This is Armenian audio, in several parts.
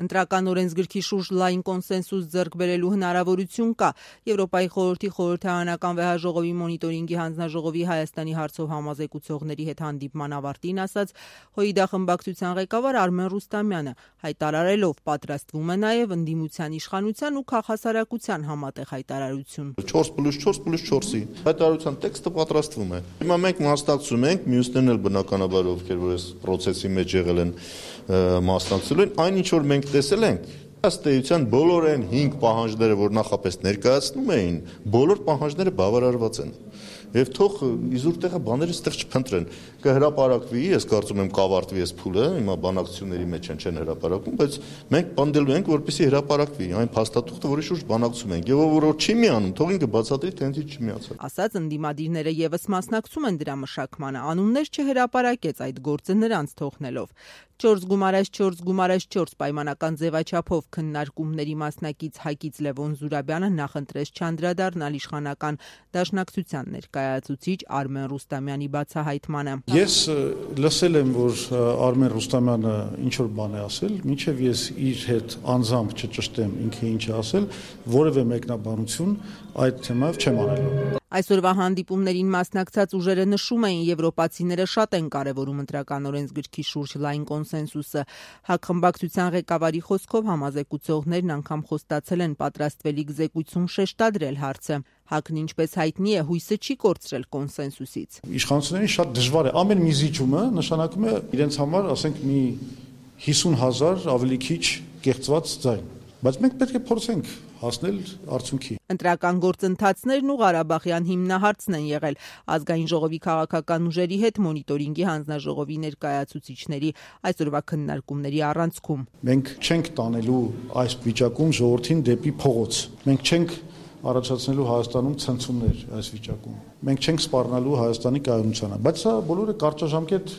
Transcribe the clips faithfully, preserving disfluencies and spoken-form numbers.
Ընտրական օրենսգրքի շուրջ լայն կոնսենսուս ձեռք բերելու հնարավորություն կա։ Եվրոպայի խորհրդի խորհրդարանական վեհաժողովի մոնիտորինգի հանձնաժողովի Հայաստանի հարցով համազեկուցողների հետ հանդիպման ավարտին ասաց ՀՅԴ խմբակցության ղեկավար Արմեն Ռուստամյանը, հայտարարելով պատրաստվում է նաև ընդդիմության իշխանության ու քաղաքասարակության համատեղ հայտարարություն։ չորս պլյուս չորս պլյուս չորսի հայտարարության տեքստը պատրաստվում է։ Հիմա մենք մասնակցում ենք, մյուսներն էլ բնականաբար ովքեր որ այս process-ի մեջ եղել են մասնակցել են, այն ինչ որ մենք տեսել ենք, ըստ էության բոլոր այն հինգ պահանջները, որ նախապես ներկայացնում էին, բոլոր պահանջները բավարարված են։ Եվ թող իզուր տեղը բաները ստեղ չփնտրեն, կհրապարակվի, ես կարծում եմ կավարտվի այս փուլը, հիմա բանակցությունների մեջ են չեն հրապարակում, բայց մենք պնդելու ենք, որպեսզի հրապարակվի այն փաստաթուղթը, որի շուրջ բանակցում ենք, եւ ով որ չի միանում, թող ինքը բացատրի, թե ինձ չի միացել։ Ասաց ընդդիմադիրները եւս մասնակցում են դրա մշակմանը, անուններ չհրապարակեց այդ գործը նրանց թողնելով։ Չորս գումարած չորս գումարած չորս պայմանական ձևաչափով քննարկումների մասնակից Հայկից Լևոն Զուրաբյանը նախընտրեց չանդրադառնալ իշխանական դաշնակցության ներկայացուցիչ Արմեն Ռուստամյանի բացահայտմանը։ Ես լսել եմ, որ Արմեն Ռուստամյանը ինչ որ բան է ասել, մինչև ես իր հետ անձամբ չճշտեմ ինքը ինչ է ասել, որևէ մեկնաբանություն այդ թեմայով չեմ անելու։ Այսօրվա հանդիպումներին մասնակցած ուժերը նշում էին, եվրոպացիները շատ են կարևորում ընտրական օրենսգրքի շուրջ լայն կոնսենսուսը։ ՀԱԿ խմբակցության ղեկավարի խոսքով համազեկուցողներն անգամ խոստացել են պատրաստվելիք զեկույցում շեշտադրել հարցը։ ՀԱԿ-ն ինչպես հայտնի է, հույսը չի կորցրել կոնսենսուսից։ Իշխանություններին շատ դժվար է, ամեն մի զիջումը նշանակում է իրենց համար, ասենք, մի հիսուն հազար ավելի քիչ կեղծված ձայն։ Բայց մենք պետք է փորձենք հասնել արդյունքի։ Ընտրական գործընթացներն ու Ղարաբաղյան հիմնահարցն են եղել ազգային ժողովի քաղաքական ուժերի հետ մոնիտորինգի հանձնաժողովի ներկայացուցիչների այսօրվա քննարկումների առանցքում։ Մենք չենք տանելու այս վիճակում ժողովրդին դեպի փողոց։ Մենք չենք առաջացնելու Հայաստանում ցնցումներ այս վիճակում։ Մենք չենք սպառնալու Հայաստանի կայունությանը, բայց սա բոլորը կարճաժամկետ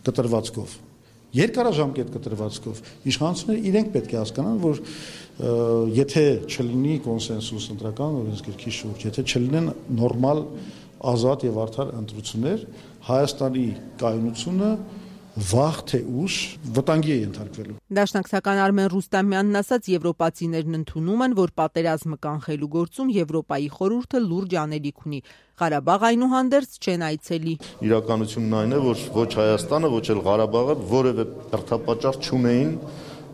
կտրվածքով։ Երկարաժամկետ կտրվածքով իշխանությունները իրենք պետք է հասկանան, որ եթե չլինի կոնսենսուս ընտրական օրենսգրքի շուրջ, եթե չլինեն նորմալ, ազատ եւ արդար ընտրություններ, Հայաստանի կայունությունը վաղ թե ուշ վտանգի է ենթարկվելու։ Դաշնակցական Արմեն Ռուստամյանն ասաց, եվրոպացիներն ընդունում են, որ պատերազմը կանխելու գործում Եվրոպայի խորհուրդը լուրջ անելիք ունի։ Ղարաբաղ այնուհանդերձ չեն այցելի։ Իրականությունն այն է, որ ոչ Հայաստանը, ոչ էլ Ղարաբաղը որևէ հերթապաճառ չունեին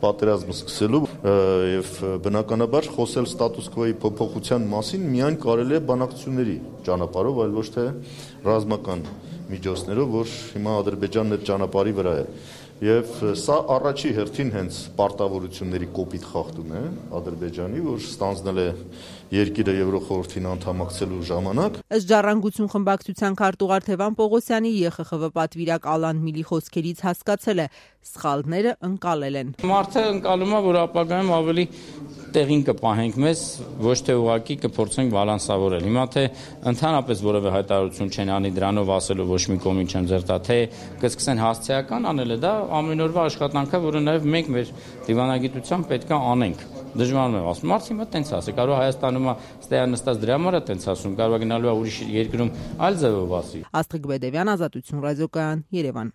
պատերազմը սկսելու եւ բնականաբար խոսել ստատուս քվոյի փոփոխության մասին միայն կարելի է բանակցությունների ճանապարհով, այլ ոչ թե ռազմական միջոցներով, որ հիմա Ադրբեջանն այդ ճանապարհի վրա է։ Եվ սա առաջի հերթին հենց պարտավորությունների կոպիտ խախտում է Ադրբեջանի, որ ստանձնել է երկիրը Եվրոխորհրդին անդամակցելու ժամանակ։ Ըստ Ժառանգություն խմբակցության քարտուղար Թևան Պողոսյանի ԵԽԽՎ պատվիրակ Ալան Միլի խոսքերից հասկացել է, սխալները ընկալել են։ Մարդը ընկալում է, որ ապագայում ավելի տեղին կպահենք մեզ, ոչ թե ուղղակի կփորձենք բալանսավորել։ Հիմա թե ընդհանրապես որևէ հայտարարություն չեն անի դրանով ասելու ոչ մի կողմին չեմ ձերտա, թե կսկսեն հասցեական անելը, դա ամենօրվա աշխատանք է, որը նաև մենք մեր դիվանագիտությամբ պետք է անենք։ Դժվարում եմ ասում, մարդը հիմա տենց ասի, կարող Հայաստանում է ստեյան նստած դրա համար է տենց ասում, կարող է գնալու է ուրիշ երկրում այլ ձևով ասի։ Աստղիկ Բեդևյան, Ազատություն ռադիոկայան, Երևան։